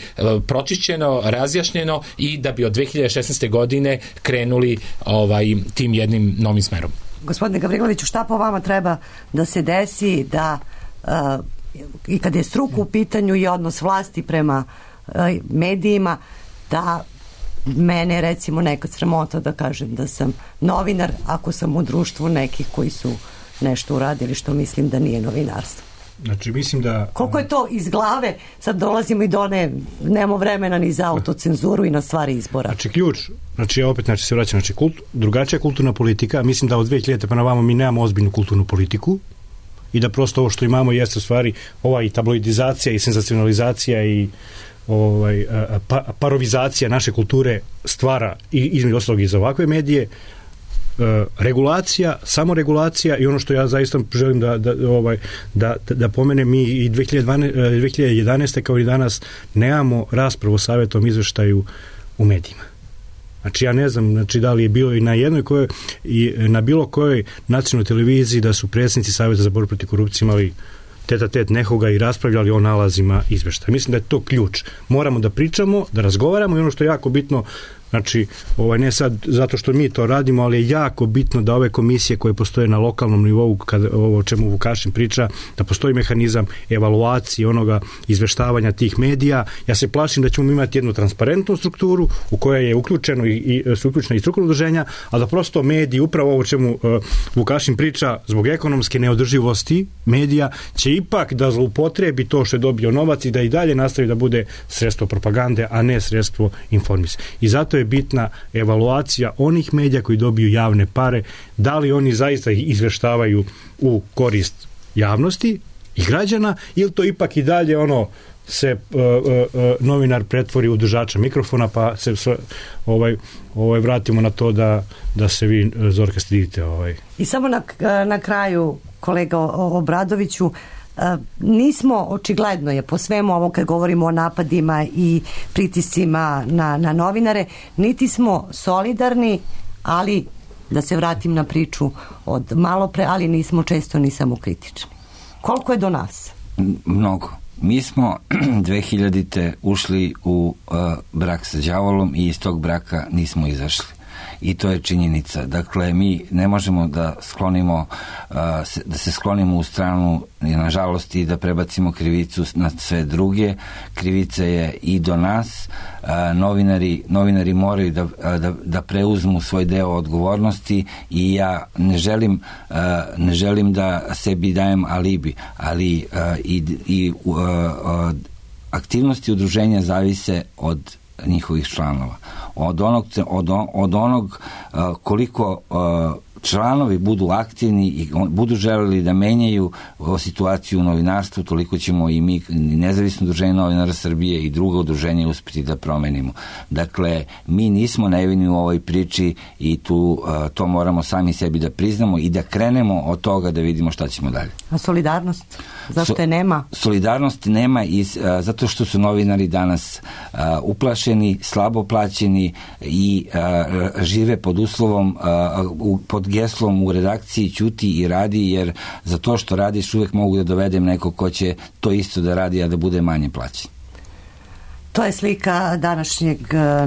pročišćeno, razjašnjeno i da bi od 2016. godine krenuli tim jednim novim smerom. Gospodine Gavriloviću, šta po vama treba da se desi da i kad je struka u pitanju i odnos vlasti prema medijima, da mene recimo nekad sramota da kažem da sam novinar ako sam u društvu nekih koji su nešto uradili što mislim da nije novinarstvo. Znači, mislim da... Koliko je to iz glave, sad dolazimo i do nemamo vremena ni za autocenzuru i na stvari izbora. Znači, ključ, ja opet se vraćam, drugačija kulturna politika, mislim da od 2000 pa na vamo mi nemamo ozbiljnu kulturnu politiku i da prosto ovo što imamo jeste u stvari i tabloidizacija i senzacionalizacija i parovizacija naše kulture stvara i između ostalog i za ovakve medije, regulacija, samoregulacija i ono što ja zaista želim da pomenem, mi i 2011. kao i danas nemamo raspravu o savjetnom izveštaju u medijima. Znači ja ne znam da li je bilo i na jednoj i na bilo kojoj nacionalnoj televiziji da su predsjednici Savjeta za borbu protiv korupcije imali tete nekoga i raspravljali o nalazima izveštaja. Mislim da je to ključ. Moramo da pričamo, da razgovaramo i ono što je jako bitno, znači, ne sad zato što mi to radimo, ali je jako bitno da ove komisije koje postoje na lokalnom nivou, o čemu Vukašin priča, da postoji mehanizam evaluacije onoga izveštavanja tih medija. Ja se plašim da ćemo imati jednu transparentnu strukturu u kojoj je uključena i strukovno udruženja, a da prosto mediji, upravo ovo čemu Vukašin priča, zbog ekonomske neodrživosti medija, će ipak da zloupotrebi to što je dobio novac i da i dalje nastavi da bude sredstvo propagande, a ne sredstvo informisanja. I zato je bitna evaluacija onih medija koji dobiju javne pare, da li oni zaista izveštavaju u korist javnosti i građana, ili to ipak i dalje se novinar pretvori u držača mikrofona, pa se vratimo na to da se vi, Zorka, stidite. I samo na kraju, kolega Obradoviću, nismo, očigledno je po svemu ovo kad govorimo o napadima i pritiscima na novinare, niti smo solidarni, ali da se vratim na priču od malo pre, ali nismo često ni samokritični. Koliko je do nas? Mnogo. Mi smo 2000. ušli u brak sa đavolom i iz tog braka nismo izašli. I to je činjenica. Dakle, mi ne možemo da se sklonimo u stranu, nažalost, i da prebacimo krivicu na sve druge. Krivica je i do nas. Novinari moraju da preuzmu svoj deo odgovornosti i ja ne želim da sebi dajem alibi, ali i aktivnosti udruženja zavise od njihovih članova. Od onog koliko članovi budu aktivni i budu želeli da menjaju situaciju u novinarstvu, toliko ćemo i mi, Nezavisno udruženje novinara Srbije i druga udruženja, uspeti da promenimo. Dakle, mi nismo nevini u ovoj priči i to moramo sami sebi da priznamo i da krenemo od toga da vidimo šta ćemo dalje. A solidarnost? Zašto je nema? Solidarnosti nema zato što su novinari danas uplašeni, slabo plaćeni i žive pod uslovom, pod pod geslom u redakciji ćuti i radi, jer za to što radiš uvek mogu da dovedem neko ko će to isto da radi, a da bude manje plaćen. To je slika današnjeg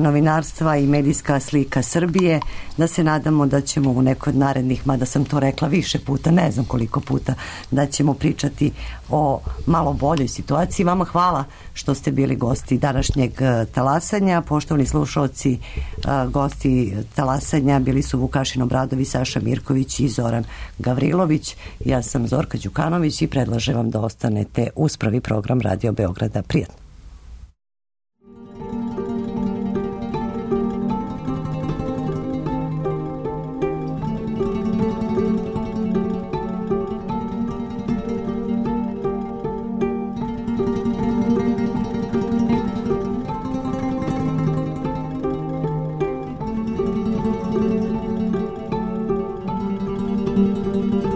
novinarstva i medijska slika Srbije. Da se nadamo da ćemo u nekoj od narednih, mada sam to rekla više puta, ne znam koliko puta, da ćemo pričati o malo boljoj situaciji. Vama hvala što ste bili gosti današnjeg talasanja. Poštovani slušalci, gosti talasanja bili su Vukašin Obradović, Saša Mirković i Zoran Gavrilović. Ja sam Zorka Đukanović i predlažem vam da ostanete uz prvi program Radio Beograda. Prijatno. Thank you.